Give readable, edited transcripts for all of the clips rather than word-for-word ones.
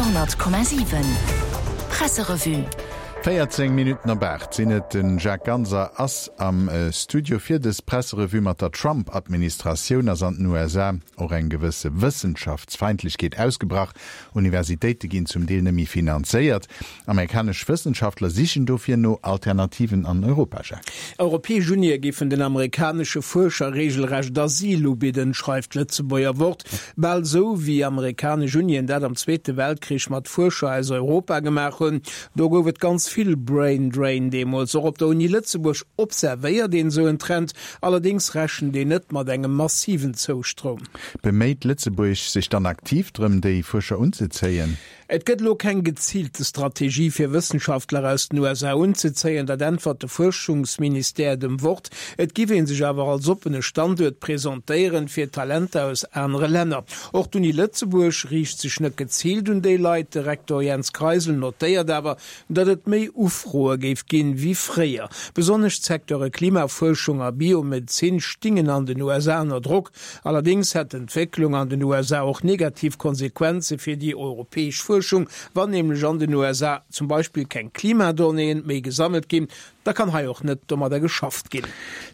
Radio 10,7 Presserevue. 14 Minutten op 8 sinn et. De Jacques Ganser ass am Studio fir dës Presserevue. Mat der Trump-Administratioun ass an den USA och eng gewësse Wëssenschaftsfeindlechkeet ausgebrach. Universitéite ginn zum Deel net méi finanzéiert. Amerikanesch Wëssenschaftler sichen dofir no Alternativen an Europa, Jacques. Europäesch Unie géifen den amerikanesche Fuerscher reegelrecht Asyl ubidden, schreift d'Lëtzebuerger Wort. Bal esou wéi amerikanesch Unien dat am Zweete Weltkrich mat Fuerscher aus Europa gemaach hunn. Do gouf et ganz vill Brain Drain deemools. Och op der Uni Lëtzebuerg observéiert een esou en Trend, allerdéngs rechent een net mat engem massiven Zoustroum. Beméit Lëtzebuerg sech dann aktiv drëm, déi Fuerscher unzezéien? Et gëtt elo keng geziilte Strategie fir Wëssenschaftler aus den USA unzezéien, dat äntwert de Fuerschungsministère dem Wort. Et giff ee sech awer als oppene Standuert presentéieren fir Talenter aus anere Länner. Och d'Uni Lëtzebuerg riicht sech net geziilt un déi Leit. De Rektor Jens Kreisel notéiert awer, datt et méi Ufroe géif ginn wéi fréier. Besonnesch d'Secteure Klimafuerschung a Biomedezin stingen an den USA ënner Drock. Allerdéngs hätt d'Entwécklung an den USA och negativ Konsequenze fir déi europäesch Fuerschung. Wann nämlech an den USA zum Beispill keng Klimadonnéeën méi gesammelt ginn, da kann hei och net domadder geschafft ginn.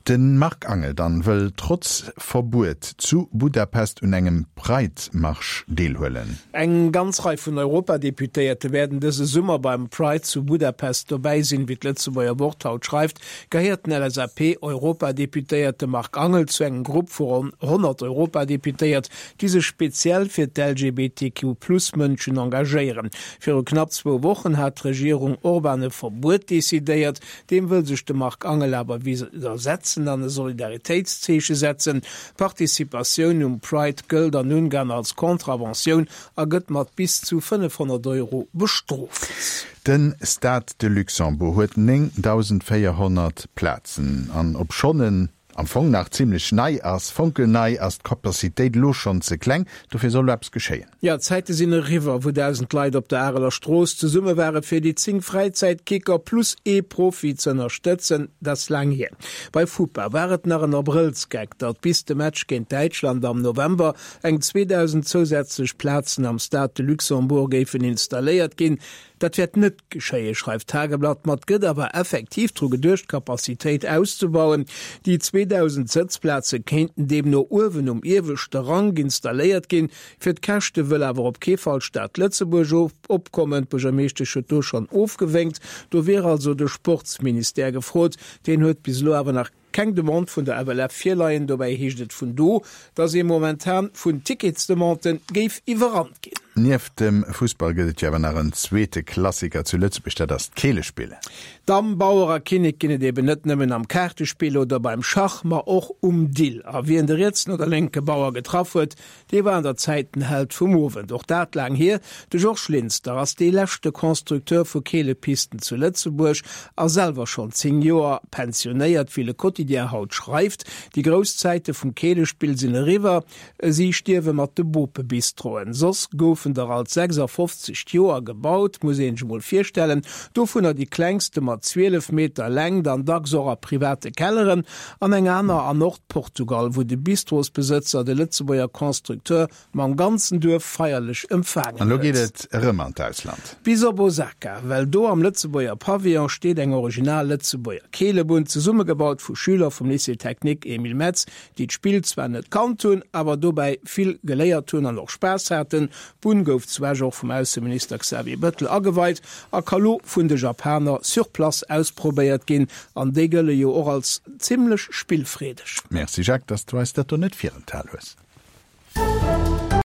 De Marc Angel dann wëll trotz Verbuet zu Budapest un engem Pride-Marsch deelhuelen. Eng ganz Rei vun Europadeputéierte wäerten dëse Summer beim Pride zu Budapest dobäi sinn. Wéi d'Lëtzebuerger Wort haut schreift, gehéiert den LSAP-Europadeputéierte Marc Angel zu engem Grupp vu ronn 100 Europadeputéiert, déi sech speziell fir d'LGBTQ-Plus-Mënschen engagéieren. Viru knapp zwou Wochen hat d'Regierung Orban e Verbuet decidéiert. Deem wëll sech de Marc Angel awer widdersetzen an e Solidaritéitszeeche setzen. D'Participatioun um Pride gëllt an Ungarn als Contraventioun a gëtt mat bis zu 500 Euro bestrooft. De Stade de Luxembourg huet 9.400 Plazen an obschonn en am Fong nach zimmlech nei ass, fonkelnei, ass d'Capacitéit elo schonn ze kleng. Dofir soll elo eppes geschéien. Jo, d'Zäite sinn eriwwer, wou 1.000 Leit op der Areler Strooss zesumme ware fir déi 10 Fräizäitkicker plus ee Profi z'ënnerstëtzen. Dat ass laang hier. Bei FUPA war et nach en Abrëllsgeck, datt bis de Match géint Däitschland am November eng 2.000 zousätzlech Plazen am Stade de Luxembourg géifen installéiert ginn. Dat wäert net geschéien, schreift d'Tageblatt, ma et gëtt awer effektiv dru geduecht, d'Capacitéit auszebauen. Déi 2.000 Sëtzplaze kéinten deemno uewen um ieweschte Rank installéiert ginn. Fir d'Käschte wëll awer op kee Fall d'Stad Lëtzebuerg opkommen. D'Buergermeeschtesch huet do schonn ofgewénkt. Do wier also de Sportsministère gefrot. Deen huet bis elo awer nach Keng Demande vun der FLF virleien. Dobäi heescht et vun do, datt ee momentan vun Ticketsdemandë géif iwwerrannt ginn. Nieft dem Fussball gëtt et jo awer nach en zweete Klassiker zu Lëtzebuerg, dat ass d'Keelespill. Damm, Bauer a Kinnek ginn et eben net nëmmen am Kaartespill oder beim Schach, ma och um Dill. A wien de rietsen oder lénke Bauer getraff huet, Dee war an der Zäit den Held vum Owend. Och dat laang hier. De Georges Linster ass dee leschte Constructeur vu Keelepisten zu Lëtzebuerg a selwer schonn 10 Joer pensionéiert, wéi Le Quotidien haut schreift. Déi grouss Zäite vum Keelespill sinn eriwwer. Si stierwe mat de Bopebistroen. Soss goufen der alt 56 d'Joer gebaut, muss een sech emol virstellen. Dovunner déi klengste mat 12 Meter Längt an dacks och a private Kelleren. An eng aner an Nordportugal, wou de Bistrosbesëtzer de Lëtzebuerger Constructeur mam ganzen Duerf feierlech empfaangen An elo geet huet. et erëm an d'Ausland. Bis op Osaka, well do am Lëtzebuerger Pavillon steet eng original Lëtzebuerger Keelebunn, zesummegebaut vu Schüler vum Lycée Technique Emile Metz, déi d'Spill zwar net kannt hunn, awer dobäi vill geléiert hunn an och Spaass haten. D'Bunn gouf zu Esch och vum Ausseminister Xavier Bettel ageweit a ka lo vun de Japaner sur place ausprobéiert ginn, an déi gëlle jo och als zimmlech spillfreedeg. Merci Jacques, dass du eis dat do net virenthal hues.